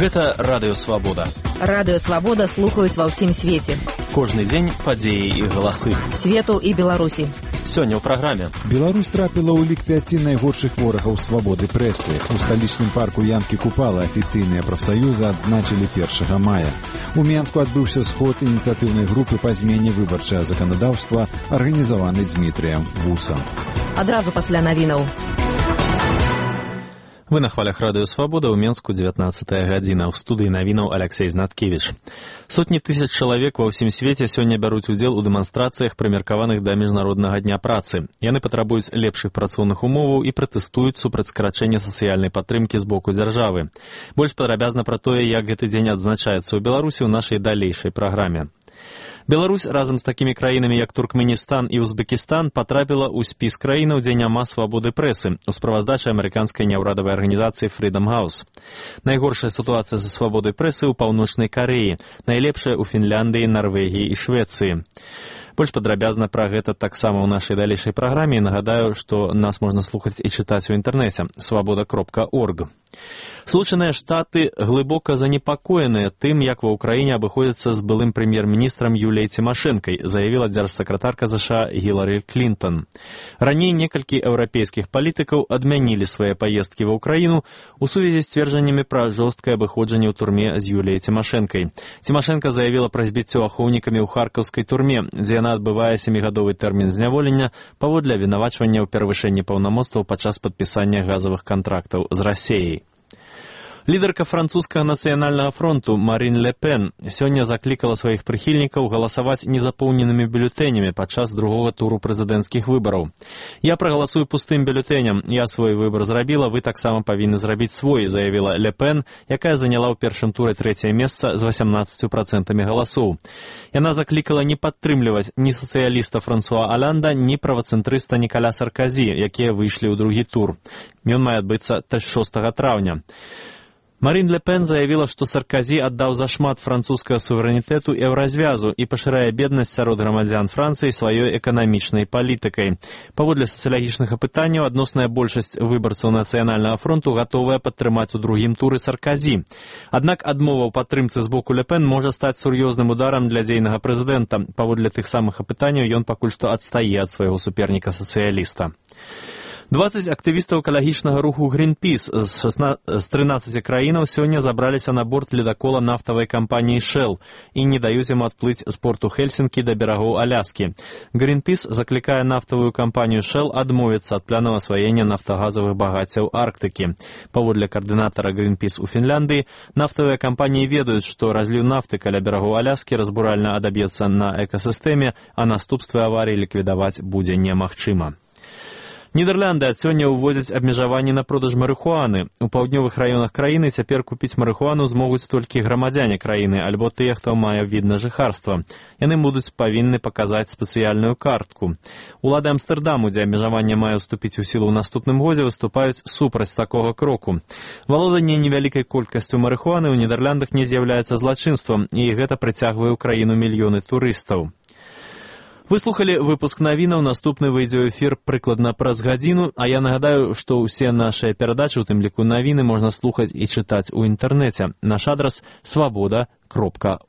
Гэта Радыё Свабода. Радыё Свабода слухаюць ва ўсім свеце. Кожны дзень падзеі і галасы. Свету і Беларусі. Сёння ў праграме. Беларусь трапіла ў лік 5 найгоршых ворагаў свабоды прэсы. У сталічным парку Янкі Купала афіцыйныя прафсаюзы адзначылі 1 мая. У Менску адбыўся сход ініцыятыўнай групы па змене выбарчага заканадаўства, арганізаваны Дзмітрыем Вусам. Адразу пасля навінаў. Вы на хвалях Радыё Свабода, ў Менску 19 гадзіна. У студыі навінаў Алексей Знаткевіч. Сотні тысяч чалавек ва ўсім свеце сёння бяруць удзел у дэманстрацыях, прымеркаваных да Міжнароднага дня працы. Яны патрабуюць лепшых працоўных умоваў і пратэстуюць супраць скарачэння сацыяльнай падтрымкі з боку дзяржавы. Больш падрабязна пра тое, як гэты дзень адзначаецца ў Беларусі, ў нашай далейшай праграме. Беларусь разам з такімі краінамі, як Туркменістан і Узбекістан, патрапіла ў спіс краінаў, дзе няма свабоды прэсы, у справаздачы амерыканскай няўрадавай арганізацыі Freedom House. Найгоршая сітуацыя са свабодай прэсы ў Паўночнай Карэі, найлепшая ў Фінляндыі, Нарвегіі і Швецыі. Больш падрабязна пра гэта таксама ў нашай далейшай праграме, і нагадаю, што нас можна слухаць і чытаць у інтэрнэце свабода.орг. Злучаныя Штаты глыбока занепакоеныя тым, як ва ўкраіне абыходзяцца з былым прэм'ер-міністрам Юліяй Цімашэнкай, заявіла дзяржсакратарка США Гілары Клінтон. Раней некалькі еўрапейскіх палітыкаў адмянілі свае паездкі ва ўкраіну у сувязі з сцверджаннямі пра жорсткае абыходжанне ў турме з Юліяй Цімашэнкай. Цімашэнка заявіла пра збіццё ахоўнікамі ў харкаўскай турме, дзе яна адбывае 7-гадовы тэрмін зняволення паводле абвінавачвання ў перавышэнні паўнамоцтваў падчас падпісання газавых кантрактаў з Расіяй. Лідарка французскага нацыянальнага фронту Марин Ле Пен сёння заклікала сваіх прыхільнікаў галасаваць незапоўненымі бюлетэнямі падчас другога туру прэзідэнцкіх выбараў. «Я прагаласую пустым бюлетэням. Я свой выбар зрабіла, вы таксама павінны зрабіць свой», заявіла Ле Пен, якая заняла ў першым туры 3-е месца з 18% галасоў. Яна заклікала не падтрымліваць ні сацыяліста Франсуа Алянда, ні правацэнтрыста Нікаля Сарказі, якія выйшлі ў другі тур. Ён мае адбыцца 6 траўня. Марин Ле Пен заявіла, што Сарказі аддаў зашмат французскага суверэнітэту і еўразвязу і пашырае беднасць сярод грамадзян Францыі сваёй эканамічнай палітыкай. Паводле сацыялагічных апытанняў, адносная большасць выбарцаў нацыянальнага фронту гатовая падтрымаць у другім туры Сарказі. Аднак адмова ў падтрымцы з боку Ле Пен можа стаць сур'ёзным ударам для дзейнага прэзідэнта. Паводле тых самых апытанняў ён пакуль што адстае ад свайго суперніка-сацыяліста. 20 актывістаў экалагічнага руху Greenpeace з 13 краінаў сёння забраліся на борт ледакола нафтавай кампаніі Shell і не даюць ім адплыць з порту Хельсінкі да берагоў Аляскі. Greenpeace заклікае нафтавую кампанію Shell адмовіцца ад планаў асваення нафтагазавых багаццяў Арктыкі. Паводле каардынатара Greenpeace у Фінляндыі, нафтавыя кампаніі ведаюць, што разліў нафты каля берагоў Аляскі разбуральна адаб'ецца на экасістэме, а наступствы аварыі ліквідаваць будзе немагчыма. Нідерланды ад сёння ўводзяць абмежаванні на продаж марыхуаны. У паўднёвых раёнах краіны цяпер купіць марыхуану змогуць толькі грамадзяне краіны альбо тыя, хто мае від на жыхарства. Яны будуць павінны паказаць спецыяльную картку. Улады Амстэрдаму, дзе абмежаванне мае ўступіць у сілу ў наступным годзе, выступаюць супраць такога кроку. Валоданне невялікай колькасцю марыхуаны ў Нідерландах не з'яўляецца злачынствам, і гэта прыцягвае ў краіну мільёны турыстаў. Вы слухали выпуск навінаў, наступны выйдзе ў эфір прыкладна праз гадзіну, а я нагадаю, што ўсе нашыя перадачы, у тым ліку навіны, можна слухаць і чытаць у інтэрнэце. Наш адрас свабода.орг.